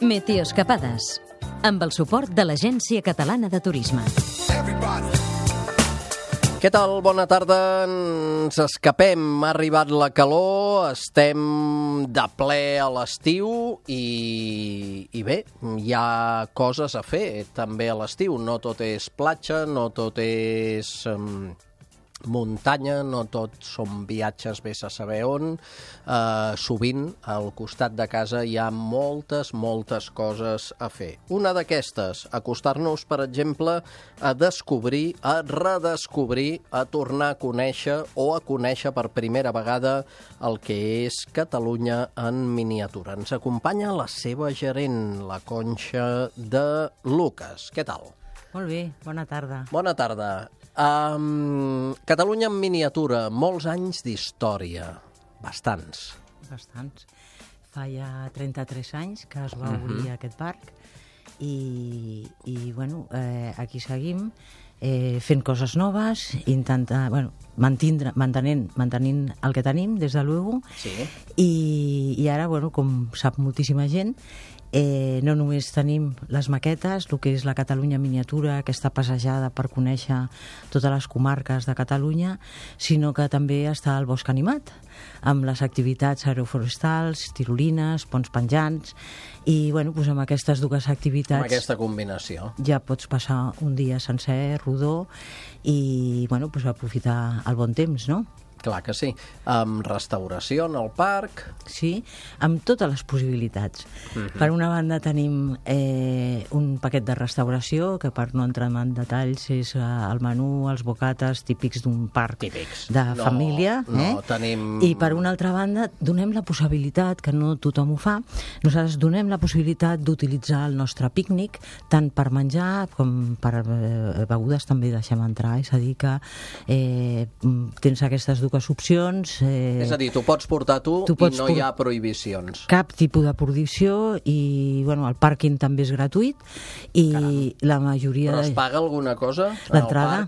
Meteoscapades, amb el suport de l'Agència Catalana de Turisme. Què tal? Bona tarda. Ens escapem. Ha arribat la calor, estem de ple a l'estiu i bé, hi ha coses a fer també a l'estiu. No tot és platja, no tot és muntanya, no tot són viatges vés a saber on. Sovint al costat de casa hi ha moltes coses a fer. Una d'aquestes, acostar-nos, per exemple, a descobrir, a redescobrir, a tornar a conèixer o a conèixer per primera vegada el que és Catalunya en miniatura. Ens acompanya la seva gerent, la Conxa de Lucas. Què tal? Molt bé, bona tarda. Bona tarda. Catalunya en miniatura, molts anys d'història. Bastants. Fa ja 33 anys que es va obrir aquest parc i bueno, aquí seguim fent coses noves, mantenint el que tenim, des de luego. Sí. I ara, bueno, com sap moltíssima gent, no només tenim les maquetes, el que és la Catalunya miniatura, aquesta passejada per conèixer totes les comarques de Catalunya, sinó que també està el bosc animat, amb les activitats aeroforestals, tirolines, ponts penjants, i bueno, doncs amb aquestes dues activitats... Amb aquesta combinació. Ja pots passar un dia sencer, rodó, i bueno, doncs aprofitar el bon temps, no? Clar que sí. Amb restauració en el parc... Sí, amb totes les possibilitats. Per una banda tenim un paquet de restauració, que per no entrar en detalls és el menú, els bocates típics d'un parc de família. No, tenim... I per una altra banda donem la possibilitat, que no tothom ho fa, nosaltres donem la possibilitat d'utilitzar el nostre pícnic, tant per menjar com per begudes també deixem entrar. És a dir que tens aquestes dues opcions. És a dir, t'ho pots portar tu i no hi ha prohibicions. Cap tipus de prohibició i bueno, el pàrquing també és gratuït i la majoria... Però es paga alguna cosa? L'entrada,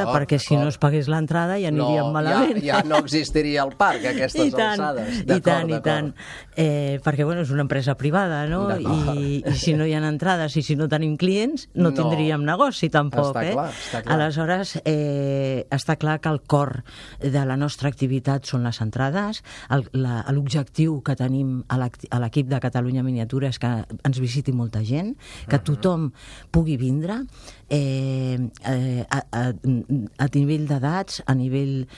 perquè si no es pagués l'entrada ja aniríem malament. Ja no existiria el parc a aquestes alçades. I tant. Perquè bueno, és una empresa privada, no? I si no hi ha entrades i si no tenim clients, no tindríem negoci tampoc. Està clar. Aleshores, està clar que el cor de la nostra activitat són les entrades. L'objectiu que tenim a l'equip de Catalunya Miniatura és que ens visiti molta gent, que tothom pugui vindre a nivell d'edats, a nivell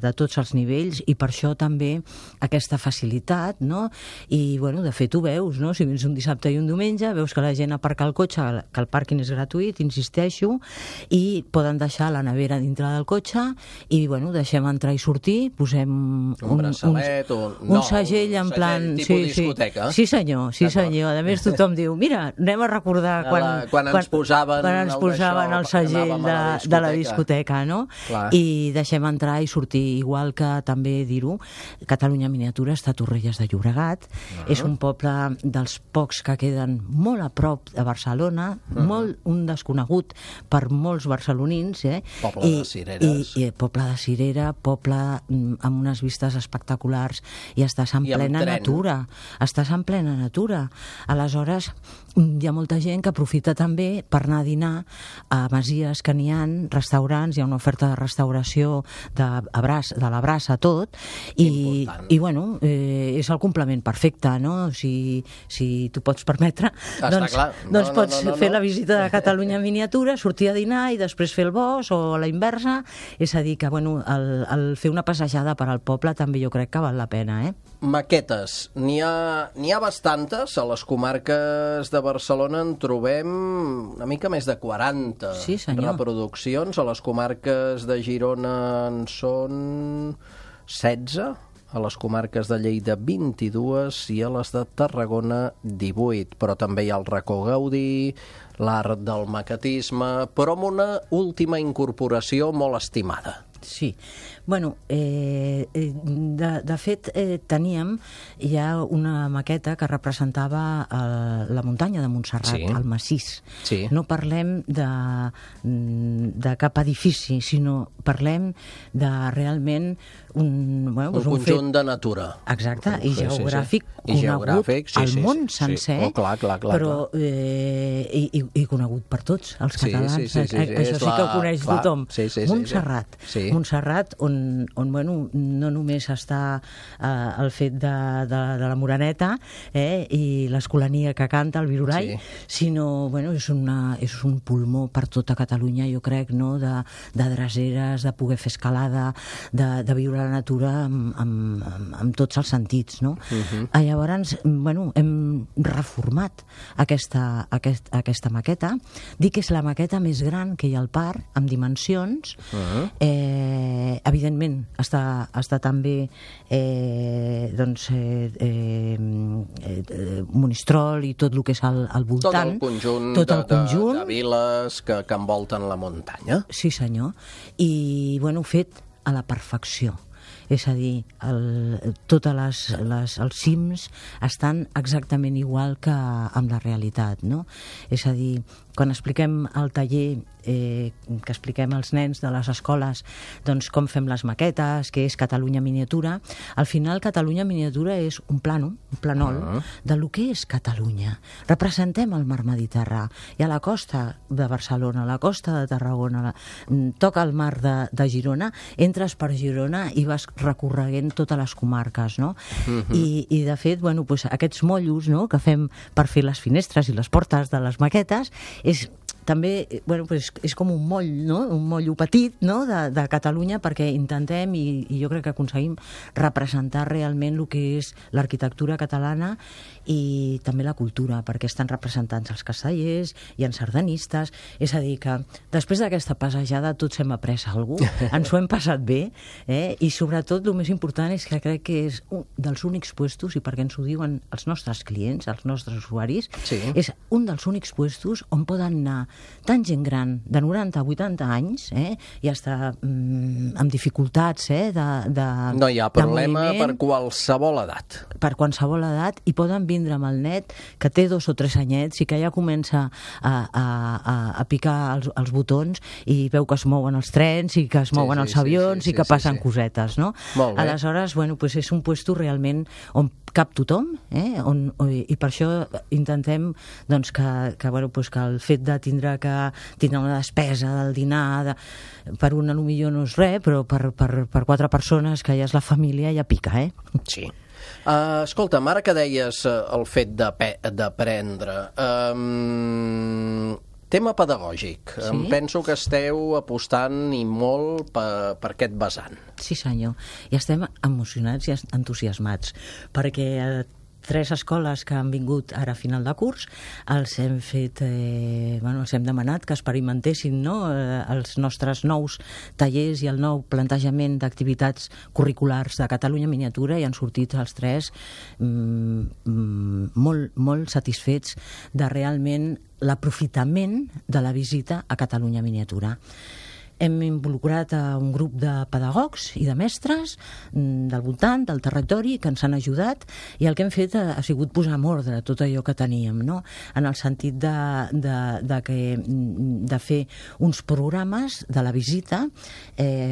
de tots els nivells, i per això també aquesta facilitat, no? I bueno, de fet ho veus, no? Si vens un dissabte i un diumenge, veus que la gent aparca el cotxe, que el pàrquing és gratuït, insisteixo, i poden deixar la nevera dintre del cotxe i bueno, deixem entrar i sortir, posem un braçalet un segell en plan... tipus discoteca. Sí senyor. A més tothom diu, mira, anem a recordar quan ens posaven el segell de la discoteca, no? Clar. I deixem entrar i sortir, igual que també dir-ho, Catalunya Miniatura està a Torrelles de Llobregat, és un poble dels pocs que queden molt a prop de Barcelona, molt un desconegut per molts barcelonins, Poble de cireres. Poble de cirera, poble amb unes vistes espectaculars, i estàs en plena natura. Aleshores, hi ha molta gent que aprofita també per anar a dinar a masies que n'hi ha, restaurants, hi ha una oferta de restauració de la brasa tot, i bueno, és el complement perfecte, no? Si t'ho pots permetre, doncs pots fer la visita de Catalunya Miniatura, sortir a dinar i després fer el bosc, o la inversa. És a dir que, bueno, el fer una passejada per al poble també jo crec que val la pena, Maquetes. N'hi ha bastantes. A les comarques de Barcelona en trobem una mica més de 40 reproduccions. A les comarques de Girona en són 16, a les comarques de Lleida 22 i a les de Tarragona 18. Però també hi ha el Racó Gaudí, l'art del maquetisme, però amb una última incorporació molt estimada. Sí. Bueno, de de fet, teníem ja una maqueta que representava la muntanya de Montserrat, el massís. Sí. No parlem de cap edifici, sinó parlem de realment un conjunt de natura. Exacte, i geogràfic conegut al món sencer, però i conegut per tots els catalans. Això sí que ho coneix tothom. Montserrat, on no només està el fet de la Moreneta i l'escolania que canta, el Virorall, sinó és un pulmó per tota Catalunya, jo crec, de dreceres, de poder fer escalada, de viure la natura amb tots els sentits, no? Llavors, hem reformat aquesta maqueta. Dic que és la maqueta més gran que hi ha al parc, amb dimensions. Evidentment, està també Monistrol i tot el que és al voltant. Tot el conjunt de viles que envolten la muntanya. Sí, senyor. I, fet a la perfecció. És a dir, tots els cims estan exactament igual que amb la realitat, no? És a dir, quan expliquem al taller, que expliquem als nens de les escoles doncs com fem les maquetes, què és Catalunya miniatura, al final Catalunya miniatura és un planol de lo que és Catalunya. Representem el mar Mediterrani, i a la costa de Barcelona, a la costa de Tarragona, toca el mar de Girona, entres per Girona i vas recorreguent totes les comarques, no? I de fet, aquests mollos que fem per fer les finestres i les portes de les maquetes és també, és com un moll, no? Un mollo petit, no? de Catalunya, perquè intentem, i jo crec que aconseguim, representar realment el que és l'arquitectura catalana i també la cultura, perquè estan representats els castellers i els sardanistes. És a dir, que després d'aquesta passejada tots hem après alguna cosa, ens ho hem passat bé, i sobretot el més important és que crec que és un dels únics puestos, i perquè ens ho diuen els nostres clients, els nostres usuaris, és un dels únics puestos on poden anar tant gent gran de 90 a 80 anys i està amb dificultats no hi ha problema per qualsevol edat. Per qualsevol edat, i poden vindre amb el net que té 2 o 3 anyets i que ja comença a picar els botons i veu que es mouen els trens i que es mouen els avions i que passen cosetes, no? Aleshores, és un puesto realment on cap tothom, i per això intentem que el fet de tindre una despesa del dinar per una millor no és res, però per 4 persones que ja és la família ja pica, Sí. Escolta'm, ara que deies el fet d'aprendre, tema pedagògic. Em penso que esteu apostant i molt per aquest vessant. Sí, senyor. I estem emocionats i entusiasmats, perquè 3 escoles que han vingut ara a final de curs, els hem fet, els hem demanat que experimentessin els nostres nous tallers i el nou plantejament d'activitats curriculars de Catalunya Miniatura, i han sortit els 3 molt, molt satisfets de realment l'aprofitament de la visita a Catalunya Miniatura. Hem involucrat a un grup de pedagogs i de mestres del voltant, del territori, que ens han ajudat, i el que hem fet ha sigut posar en ordre tot allò que teníem, no? En el sentit de fer uns programes de la visita,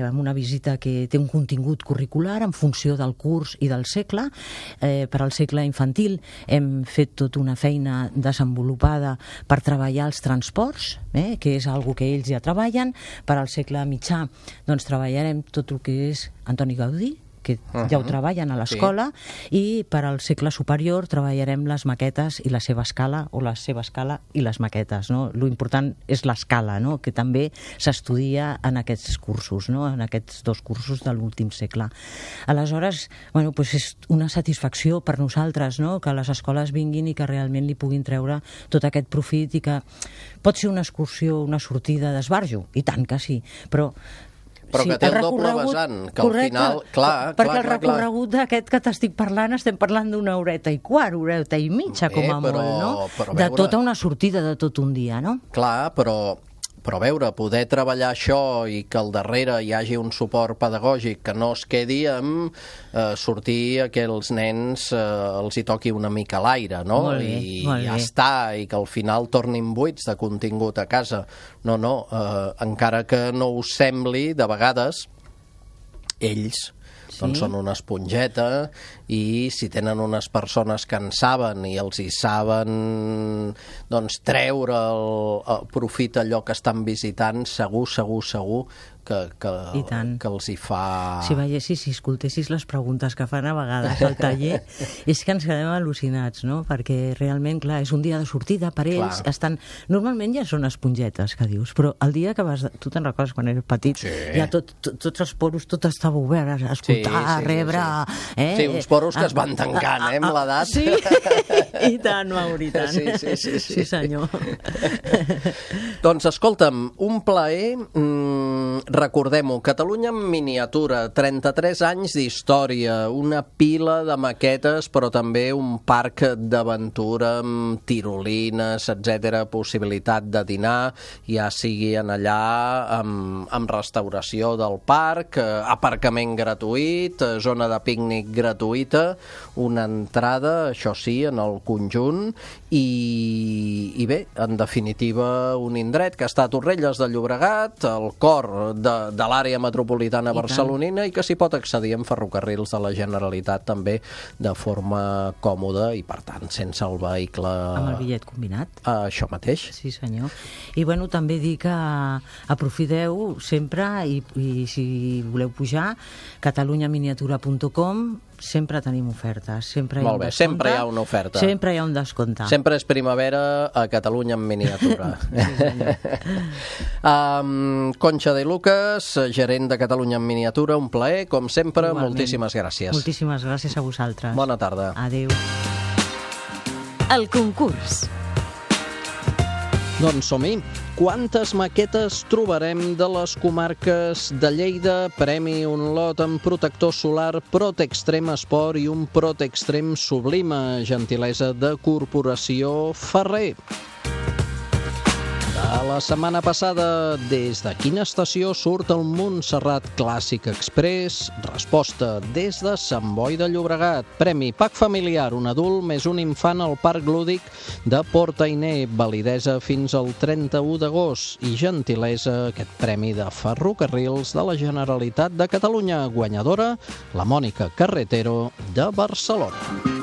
amb una visita que té un contingut curricular en funció del curs i del segle. Per al segle infantil hem fet tota una feina desenvolupada per treballar els transports, que és una cosa que ells ja treballen. Per al segle mitjà doncs treballarem tot el que és Antoni Gaudí, que ja ho treballen a l'escola, i per al segle superior treballarem les maquetes i la seva escala, o la seva escala i les maquetes, no? Lo important és l'escala, no? Que també s'estudia en aquests cursos, no? En aquests 2 cursos de l'últim segle. Aleshores, és una satisfacció per nosaltres, no? Que les escoles vinguin i que realment li puguin treure tot aquest profit, i que pot ser una excursió, una sortida d'esbarjo, i tant que sí, però que té el doble vessant, que al final... Perquè el recorregut d'aquest que t'estic parlant, estem parlant d'1 horeta i quart, 1 horeta i mitja, com a molt, no? De tota una sortida de tot un dia, no? Clar, però Però a veure, poder treballar això i que al darrere hi hagi un suport pedagògic que no es quedi amb sortir a que els nens els hi toqui una mica l'aire, no? Molt bé, I molt ja bé. està, i que al final tornin buits de contingut a casa. No, encara que no us sembli, de vegades, ells doncs són una esponjeta i si tenen unes persones que en saben i els hi saben doncs treure el profit allò que estan visitant, segur que els hi fa... Si veiessis, si escoltessis les preguntes que fan a vegades al taller, és que ens quedem al·lucinats, no? Perquè realment, clar, és un dia de sortida per ells, normalment ja són espongetes, que dius, però el dia que vas... Tu te'n recordes quan eres petit? Sí. Ja tots els poros, tot estava obert, a escoltar, a rebre... Sí, uns poros que es van tancant, amb l'edat. Sí, i tant, Mauri, i tant. Sí, senyor. Doncs escolta'm, un plaer, recordem-ho, Catalunya en miniatura, 33 anys d'història, una pila de maquetes, però també un parc d'aventura amb tirolines, etc, possibilitat de dinar, ja sigui en allà amb restauració del parc, aparcament gratuït, zona de pícnic gratuïta, una entrada, això sí, en el conjunt, i bé, en definitiva, un indret que està a Torrelles de Llobregat, al cor de l'àrea metropolitana barcelonina, i que s'hi pot accedir en ferrocarrils de la Generalitat també de forma còmoda i, per tant, sense el vehicle... Amb el bitllet combinat. Això mateix. Sí, senyor. I, bueno, també dir que aprofiteu sempre i si voleu pujar, catalunyaminiatura.com, sempre tenim ofertes, sempre hi ha un descompte. Sempre hi ha una oferta. Sempre hi ha un descompte. Sempre és primavera a Catalunya en miniatura. Concha de Lucas, gerent de Catalunya en miniatura, un plaer, com sempre. Igualment. Moltíssimes gràcies. Moltíssimes gràcies a vosaltres. Bona tarda. Adéu. El concurs. Doncs som-hi. Quantes maquetes trobarem de les comarques de Lleida? Premi un lot amb protector solar Protextrem Esport i un Protextrem Sublima, gentilesa de Corporació Ferrer. De la setmana passada, des de quina estació surt el Montserrat Clàssic Express? Resposta, des de Sant Boi de Llobregat. Premi pack familiar, un adult més un infant al Parc Lúdic de Port Ainé, validesa fins al 31 d'agost i gentilesa aquest premi de Ferrocarrils de la Generalitat de Catalunya. Guanyadora, la Mònica Carretero de Barcelona.